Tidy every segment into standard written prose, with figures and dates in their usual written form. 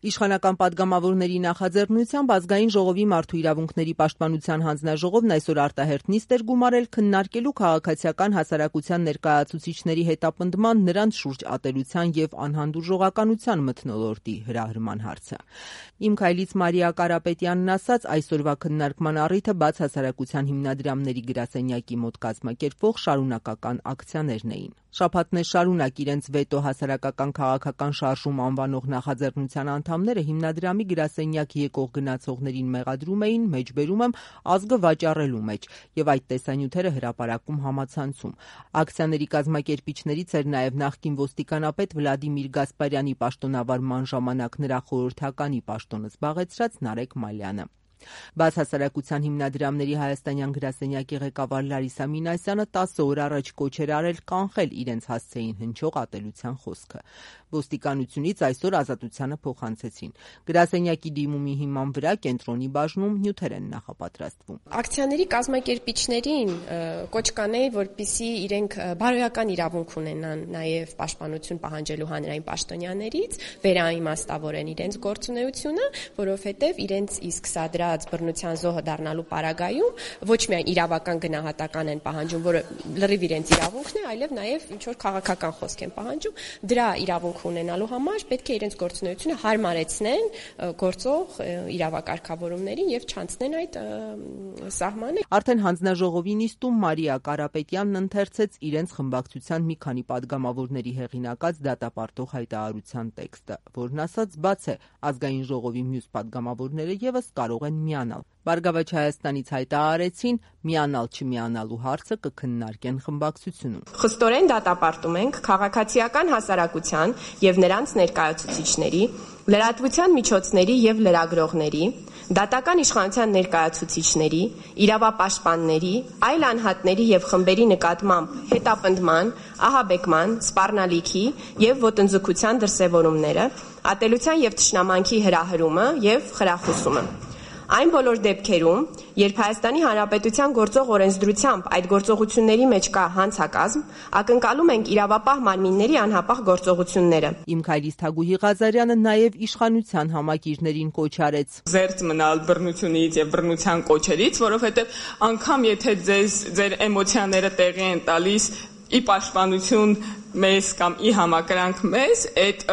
Իշխանական պատգամավորների նախաձեռնությամբ Ազգային ժողովի մարդու իրավունքների պաշտպանության հանձնաժողովն այսօր արտահերթ նիստ էր գումարել քննարկելու քաղաքացիական հասարակության ներկայացուցիչների հետապնդման, նրանց շուրջ ատելության եւ անհանդուրժողականության մթնոլորտի հրահրման հարցը։ Իմ քայլից Մարիա Կարապետյանն ասաց, այսօրվա քննարկման առիթը բաց հասարակության հիմնադրամների գրասենյակի մոտ կազմակերպվող շարունակական ակցիաներն էին։ Շաբաթներ շարունակ իրենց վետո հասարակական քաղաքական շարժում անվանող նախաձեռնության անդամները հիմնադրամի գրասենյակ եկող գնացողներին մեղադրում էին, մեջբերում եմ, ազգը վաճառելու մեջ եւ այդ տեսանյութերը հրապարակում համացանցում։ Ակցիաների կազմակերպիչներից էր նաեւ նախկին ոստիկանապետ Վլադիմիր Գասպարյանի պաշտոնավարման ժամանակ նրա խորհրդականի պաշտոնը զբաղեցրած Նարեկ Մալյանը։ Բաց հասարակության հիմնադրամների հայաստանյան գրասենյակի ղեկավար Լարիսա Մինասյանը 10 օր առաջ կոչ էր արել կանխել իրենց հասցեին հնչող ատելության խոսքը։ Ոստիկանությունից այսօր ազատությանը փոխանցեցին։ Գրասենյակի դիմումի հիման վրա կենտրոնի բաժնում նյութեր են նախապատրաստվում։ Ակցիաների կազմակերպիչներին կոչ կանեի, որպեսզի իրենք բարոյական իրավունք ունենան նաև պաշտպանություն պահանջելու հանրային պաշտոնյաներից, վերաիմաստավորեն իրենց գործունեությունը, որովհետև իրենց իսկ սադրած բռնության զոհը դառնալու պարագայում ոչ միայն իրավական գնահատական են պահանջում, որը լրիվ իրենց իրավունքն է, այլև նաև ինչ որ քաղաքական խոսք են պահանջում, դրա իրավունք ունենալու համար պետք է իրենց գործունեությունը հարմարեցնեն գործող իրավակարգավորումներին եւ չանցնեն այդ սահմանը։ Արդեն հանձնաժողովի նիստում Մարիա Կարապետյանն ընթերցեց իրենց խմբակցության մի քանի պատգամավորների հեղինակած դատապարտող հայտարարության տեքստը, որն ասաց բաց է ազգային ժողովի մյուս պատգամավորները եւս կարող են միանալ։ Բարգավաճ Հայաստանից հայտարարեցին միանալ չմիանալու հարցը կքննարկեն խմբակցությունում։ Խստորեն դատապարտում ենք քաղաքացիական հասարակության եւ նրանց ներկայացուցիչների, լրատվության միջոցների եւ լրագրողների, դատական իշխանության ներկայացուցիչների, իրավապաշտպանների, այլ անհատների եւ խմբերի նկատմամբ հետապնդման, ահաբեկման, սպառնալիքի եւ ոտնձգության դրսեւորումները, ատելության եւ թշնամանքի հրահրումը եւ խրախուսումը։ Այն բոլոր դեպքերում, երբ Հայաստանի Հանրապետության գործող օրենսդրությամբ այդ գործողությունների մեջ կա հանցակազմ, ակնկալում ենք իրավապահ մարմինների անհապաղ գործողությունները։ Իմ քայլից Թագուհի Ղազարյանը նաև իշխանության համակիրներին կոչ արեց զերծ մնալ բռնությունից եւ բռնության կոչերից, որովհետեւ անգամ եթե ձեր էմոցիաները տեղի են տալիս ի պաշտպանություն մեզ կամ ի համակրանք մեզ, այդ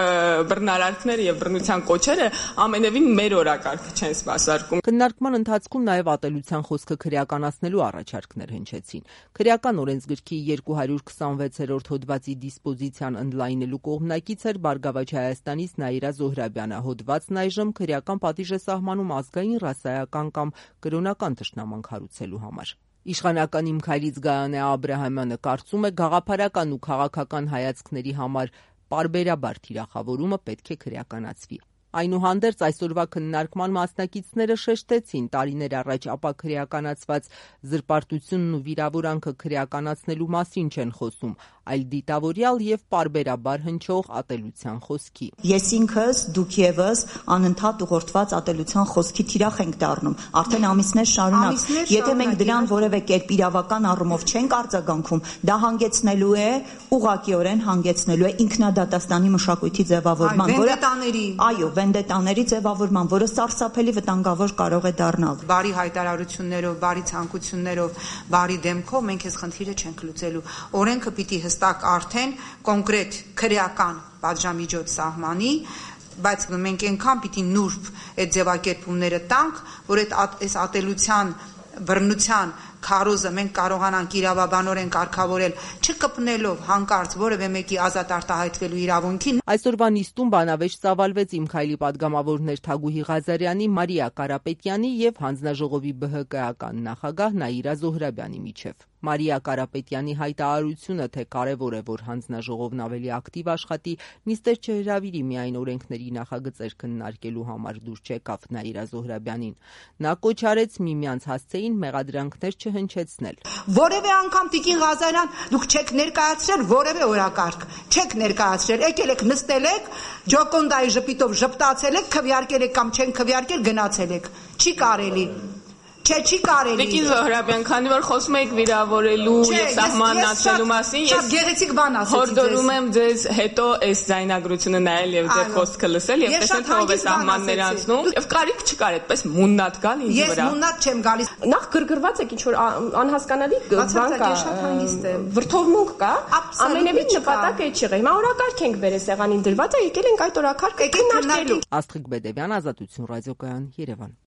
բռնարարքները եւ բռնության կոչերը ամենևին մեր օրակարգը չեն սպասարկում։ Քննարկման ընթացքում նաեւ ատելության խոսքը քրեականացնելու առաջարկներ հնչեցին։ Քրեական օրենսգրքի 226-րդ հոդվածի դիսպոզիցիան ընդլայնելու կողմնակից էր Բարգավաճ Հայաստանից Նաիրա Զոհրաբյանը։ Հոդվածն այժմ քրեական պատիժ է սահմանում ազգային, ռասայական կամ կրոնական թշնամանք հարուցելու համար։ Իշխանական Իմ քայլից Գայանե Աբրահամյանը կարծում է գաղափարական ու քաղաքական հայացքների համար պարբերաբար թիրախավորումը պետք է քրեականացվի։ Այնուհանդերձ այսօրվա քննարկման մասնակիցները շեշտեցին տարիներ առաջ ապա քրեականացված զրպարտությունն ու վիրավորանքը քրեականացնելու մասին չեն խոսում, այլ դիտավորյալ եւ պարբերաբար հնչող ատելության խոսքի։ Ես ինքս, դուք եւս անընդհատ ուղղորդված ատելության խոսքի թիրախ ենք դառնում, արդեն ամիսներ շարունակ։ Եթե մենք դրան որևէ կերպ իրավական առումով չենք արձագանքում, դա հանգեցնելու է, ուղղակիորեն հանգեցնելու է ինքնադատաստանի մշակույթի ձևավորման, որը վենդետաների ձևավորման, որը սարսափելի վտանգավոր կարող է դառնալ։ Բարի հայտարարություններով, բարի ցանկություններով, բարի դեմքով մենք այս խնդիրը չենք լուծելու։ Օրենքը պիտի հստակ արդեն կոնկրետ քրեական պատժամիջոց սահմանի, բայց մենք այնքան պիտի նուրբ այդ ձևակերպումները տանք, որ այս ատելության, բռնության քարոզը մենք կարողանանք իրավաբանորեն կարգավորել, չկպնելով հանկարծ որևէ մեկի ազատ արտահայտվելու իրավունքին։ Այսօրվա նիստում բանավեճ ծավալվեց Իմ քայլի պատգամավորներ Թագուհի Ղազարյանի, Մարիա Կարապետյանի եւ հանձնաժողովի ԲՀԿ-ական նախագահ Նաիրա Զոհրաբյանի միջև։ Մարիա Կարապետյանի հայտարարությունը, թե կարևոր է, որ հանձնաժողովն ավելի ակտիվ աշխատի, նիստեր չհրավիրի միայն օրենքների նախագծեր քննարկելու համար դուրս չեկավ Նաիրա Զոհրաբյանին։ Նա կոչ արեց միմյանց հասցեին մեղադրանքներ չհնչեցնել։ Որևէ անգամ Տիկին Ղազարյան, դուք չեք ներկայացրել որևէ օրակարգ, չեք ներկայացրել, եկել եք նստել եք, ջոկոնդայի ժպիտով ժպտացել եք, քվեարկել եք կամ չեն քվեարկել, գնացել եք։ Չի կարելի։ Չէ, չի կարելի։ Տիկին Զոհրաբյան, քանի որ խոսում եք վիրավորելու եւ սահմանացնելու մասին, ես գեղեցիկ բան ասեցի ձեզ։ Հորդորում եմ ձեզ հետո այս ձայնագրությունը նայել եւ ձեր խոսքը լսել եւ տեսնել թե ով է սահմաններ անցնում եւ կարիք չկար այդպես մուննատ գալ ինձ վրա։ Ես մուննատ չեմ գալիս։ Նախ գրգռված եք ինչ որ անհասկանալի բան կա, շատ հանգիստ է։ վրթովմունք կա, ամենևին նպատակը չի եղել։ Հիմա օրակարգ ենք բերել սեղանին դրված է, եկել ենք այդ օրակարգը քննարկելու։ Աստղիկ Բեդևյան, Ազատություն ռադիոկայան, Երևան։